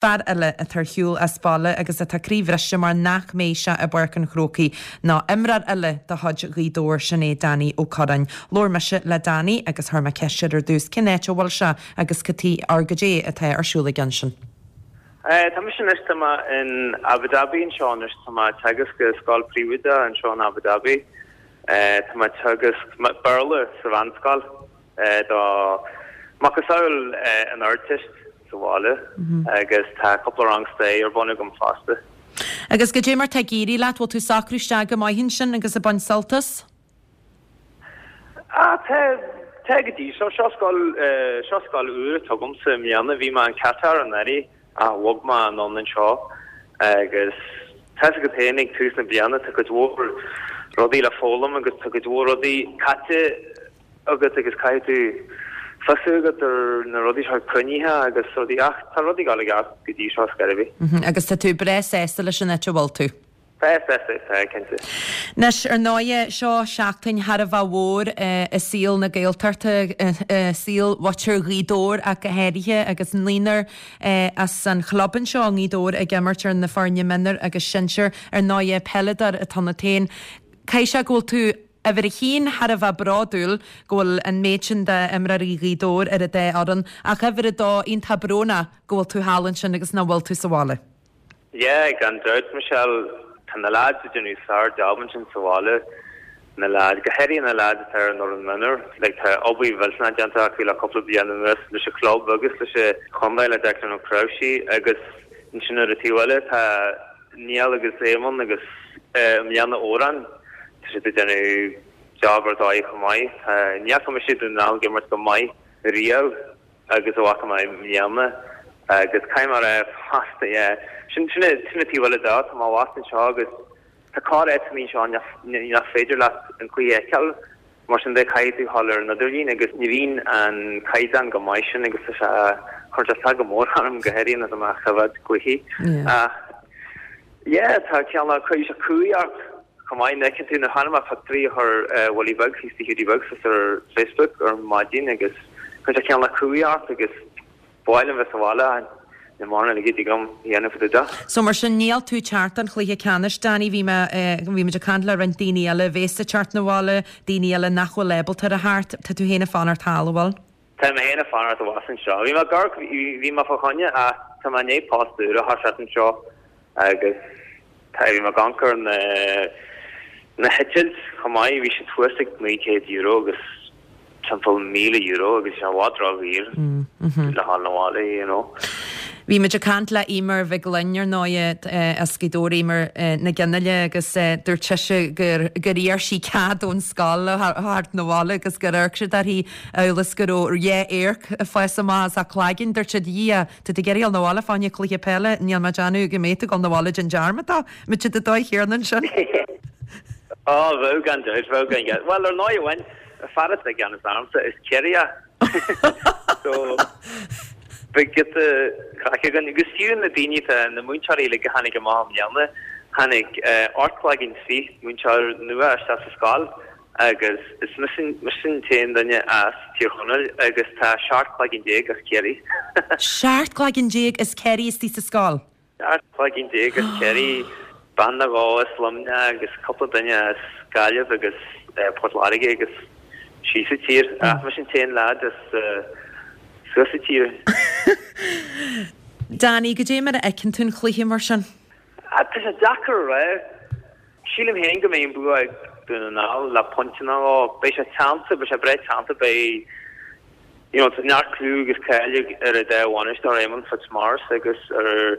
Fear eile atá ar shiúl as baile agus atá croíbhriste mar nach mbeidh sé i bPáirc an Chrócaigh ná imreoir eile de chuid Ghaoth Dobhair, sin é Danny Ó Curráin. Labhair mise le Danny agus chuir mé ceist air ar dtús cén áit a bhfuil sé agus cad tuige or goidé atá ar siúl aige ansin. Tá mise anois, tá mé in Abu Dhabi anseo anois, tá mé ag teagasc i scoil príobháideach anseo in Abu Dhabi. Tá mé ag teagasc Béarla sa mheánscoil do macasamhail an Ardteist. sa bhaile agus tá cúpla rang staire ar bun agam fosta. Agus goidé mar tá ag éirí leat, bhfuil tú socrú isteach go maith ansin agus ag baint sult as? Ah, tá, tá go dtí seo. Seo scoil, seo scoil úr atá agamsa i mbliana. Bhí mé in Qatar anuraidh ach bhog mé anonn anseo agus tá 'fhios agat féin ag tús na bliana tá cuid mhór rudaí le foghlaim agus tá cuid mhór rudaí caite agat agus caithfidh tú fiosú agat ar na rudaí seo cruinnithe agus rudaí ach tá rudaí ag dul i gceart go dtí seo ar scor ar bith. Agus tá tú breá sásta leis an áit a bhfuil tú? Tá sásta, tá, cinnte. Anois, ar ndóighe, seo seachtain thar a bheith mhór i saol na Gaeltachta, i saol mhuintir Ghaoth Dobhair ach go háirithe, agus naonúr as an chlub anseo i nGaoth Dobhair ag imirt ar na foirne mionúr agus sinsir. Ar ndóighe, peileadóir atá ionat féin. Caithfidh sé go bhfuil tú Uimhir a haon, thar a bheith bródúil go bhfuil an méid sin d'imreoirí Ghaoth Dobhair ar an dá fhoireann, ach uimhir a dó, iontach brónach go bhfuil tú thall ansin agus nach bhfuil tú sa bhaile. Yeah, gan dabht, Michelle. Tá na leaids ag déanamh sár-jab ansin sa bhaile, na leaids, go háirithe na leaids atá ar an fhoireann mionúr. Like, tá obair mhillteanach déanta acu le cúpla bliain anuas leis an chlub agus leis an chontae le Declan Ó Cnáimhsí agus ansin ar an taobh eile tá Niall agus Éamonn agus i mbliana Odhrán, tá siad ag déanamh job ar dóigh chomh maith. Ní fhaca mise Dún na nGall ag imirt go maith riamh agus a bhfaca mé i mbliana agus caithfidh mé a rá fosta, yeah, sin sin an taobh eile de, tá mé abhus anseo agus tá corr áiteanna anseo nach féidir leat an cluiche a fheiceáil. Mar sin de, caithfidh tú dhul ar an idirlíon agus ní bhíonn an caighdeán go maith sin agus tá sé, cuireann sé isteach go mór orm, go háirithe nuair atá mé ag coimhéad cluichí. Ach yeah, tá cineál, cuireann sé cumhaidh ort chomh maith. Nuair a fheiceann tú, nuair a chonaic mé pictiúirí a chuir Willie Beag thíos do Hiúdaí Beag suas ar Facebook ar maidin agus cuireann sé cineál cumhaidh ort agus Ba mhaith liom bheith sa bhaile ach níl mórán eile a dtig liom a dhéanamh fá dtaobh de. So mar sin níl tú ag teacht don chluiche ceannais, Danny. Bhí mé, bhí muid ag caint le roinnt daoine eile a bhéas ag teacht 'na bhaile, daoine eile nach bhfuil ábalta a theacht. Tá tú féin ag fanacht thall, an bhfuil? Tá mé féin ag fanacht abhus anseo. Bhí mé ag amharc, bhí mé fá choinne ach tá mé i ndiaidh post úr a thoiseacht anseo agus tá, bhí mé ag amharc ar na, na heitilt chomh maith, bhí siad thuas ag €900 agus timpeall €1,000 agus sé i bhfad ródhaor le dhul 'na bhaile, you know. Bhí muid ag caint le Eimear Mhig Fhloinn, ar ndóighe, as Gaoth Dobhair, Eimear Nic Fhionnghaile, agus dúirt sise gur gur iarr sí cead ón scoil a theacht 'na bhaile agus gur amharc siad uirthi amhail is go raibh dhá adharc ag fás amach as a cloigeann. Dúirt siad, 'Dhia, tá tú ag iarraidh dul 'na bhaile fá choinne cluiche peile, níl mé ag déanamh go mbeidh tú ag dul 'na bhaile déan dearmad de. Muid sa dóigh chéanna ansin. Á, bheadh gan dabht, bheadh gan dabht. Bhuel, ar ndóigh amháin, fear atá i gceannas ormsa is Ciarraíoch. So, beidh giota craic againn. Agus fiú na daoine atá, na múinteoirí uilig a tháinig amach i mbliana, tháinig 18 cloigeann múinteoir nua isteach sa scoil agus is mise an t-aon duine as Tír Chonaill agus tá 17 cloigeann as Ciarraí. 17 cloigeann as Ciarraí istigh sa scoil? 17 cloigeann as Ciarraí, bean nó dhó as Luimneach agus cúpla duine as Gaillimh agus Port Láirge agus síos an tír. Ach mise an t-aon leaid as suas an tír. Danny, goidé mar a fheiceann tú an cluiche mar sin? Tá sé deacair a rá. Sílim féin go mbeidh an bua ag Dún na nGall le pointe nó dhó. Beidh sé teannta, beidh sé breá teannta, beidh you know tá neart clú agus cáil ar an dá bhainisteoir Éamonn Fitzmaurice agus ar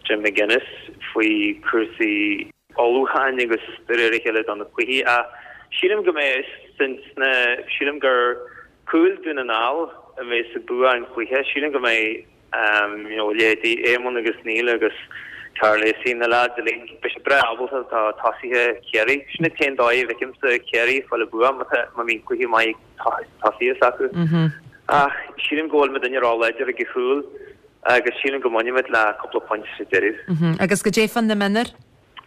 Jim McGuinness faoi cúrsaí ullmhúcháin agus de réir a chéile do na cluichí ach sílim go mbeidh sna sílim gur cúil Dún na nGall a bheas ag bua an chluiche. Sílim go mbeidh you know leithéidí Éamonn agus Neil agus Karl Lacey, na lads uilig, beidh siad breá ábalta do tosaithe Chiarraí. Sin an t-aon dóigh a bhfeicimse Ciarraí ag fáil an bua má tá má bhíonn cluiche maith ag tosaithe s'acu. Ach sílim go bhfuil muidinne ró-láidir ag an chúl agus sílim go mbainfimid le cúpla pointe sa deireadh. Agus goidé fá na mionúir?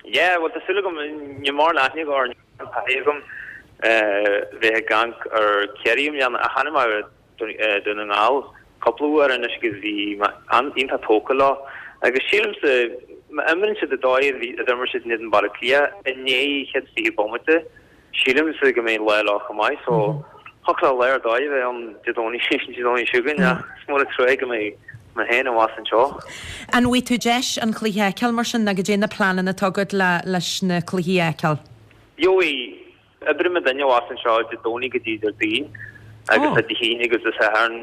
Yeah, bhuel tá súil agam, níl mórán aithne agam ar taithí agam bheith ag amharc ar Chiarraí i mbliana ach chonaic mé Dún na nGall cúpla uair anois agus bhí mé iontach tógtha leo. Agus sílimse, má imríonn siad an dóigh a d'imir siad in éadan Baile Átha Cliath i ndiaidh an chéad 20 bomaite, sílimse go mbeidh lá leo chomh maith. So, thiocfadh le lá ar dóigh a bheith ann Dé Domhnaigh Dé Domhnaigh seo chugainn ach is mór an trua go mbeidh mé féin abhus anseo. An bhfaighidh tú deis an cluiche a fheiceáil mar sin nó goidé na pleananna atá agat leis na cluichí a fheiceáil? Gheobhaidh. Oibreoidh muidinne abhus anseo Dé Domhnaigh go dtí Déardaoin agus tá Dé hAoine agus Dé Sathairn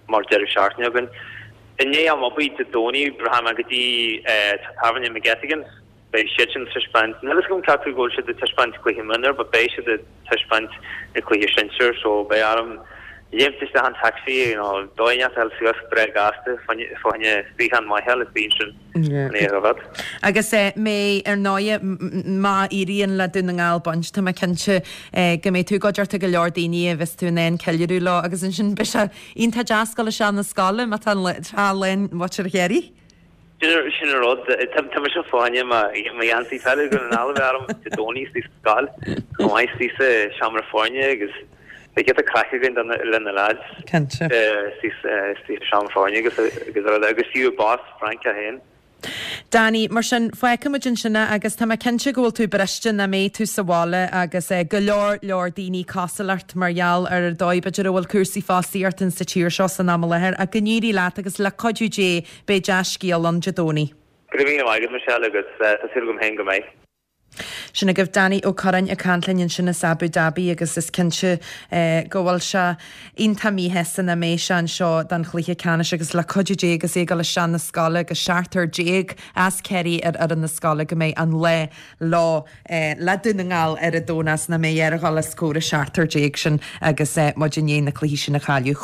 mar deireadh seachtaine againn. I ndiaidh am oibre Dé Domhnaigh rachaidh mé go dtí teach tábhairne McGettigan's. Beidh siadsan ag taispeáint, níl a fhios agam cé acu go bhfuil siad ag taispeáint cluiche mionúr but beidh siad ag taispeáint na cluiche sinsir so beidh orm léimt isteach an taxi nó dóigh inteacht a fháil suas breá gasta fá choinne suíochán maith a fháil istigh ansin. Agus mé, ar ndóighe, má éiríonn le Dún na nGall baint, tá mé cinnte go mbeidh tú i gcuideachta go leor daoine a bheas tú in ann ceiliúradh leo agus ansin beidh sé iontach deas dul isteach na scoile má tá an trá lán mhuintir Chiarraí. Sin an rud, tá mise fá choinne mo gheansaí peile Dhún na nGall a bheith orm Dé Domhnaigh istigh sa scoil, chomh maith istigh sa seomra foirne agus Beidh giota craic againn le na lads. Cinnte. Sa seomra foirne agus agus agus fiú boss Francach féin. Danny, Mar sin, fágfaidh muid ansin é agus tá mé cinnte go bhfuil tú briste nach mbeidh tú sa bhaile agus go leor leor daoine cosúil leat mar gheall ar an dóigh b'fhéidir a bhfuil cúrsaí fostaíochta insa tír seo san am i láthair ach go n-éirí leat agus le cuidiú Dé beidh dea-scéal ann Dé Domhnaigh. Go raibh míle maith agat Michelle agus tá súil agam féin go mbeidh. Sin agaibh Danny Ó Curráin ag caint linn ansin as Abu Dhabi agus is cinnte go bhfuil sé iontach míshásta nach mbeidh sé anseo don chluiche ceannais agus le cuidiú Dé agus é ag dul isteach na scoile agus seachtar déag as Ciarraí ar fhoireann na scoile go mbeidh an lá leo le Dún na nGall ar an Domhnach is nach mbeidh air a dhul os comhair an seachtar déag sin agus muid i ndiaidh na cluichí sin a chailleadh.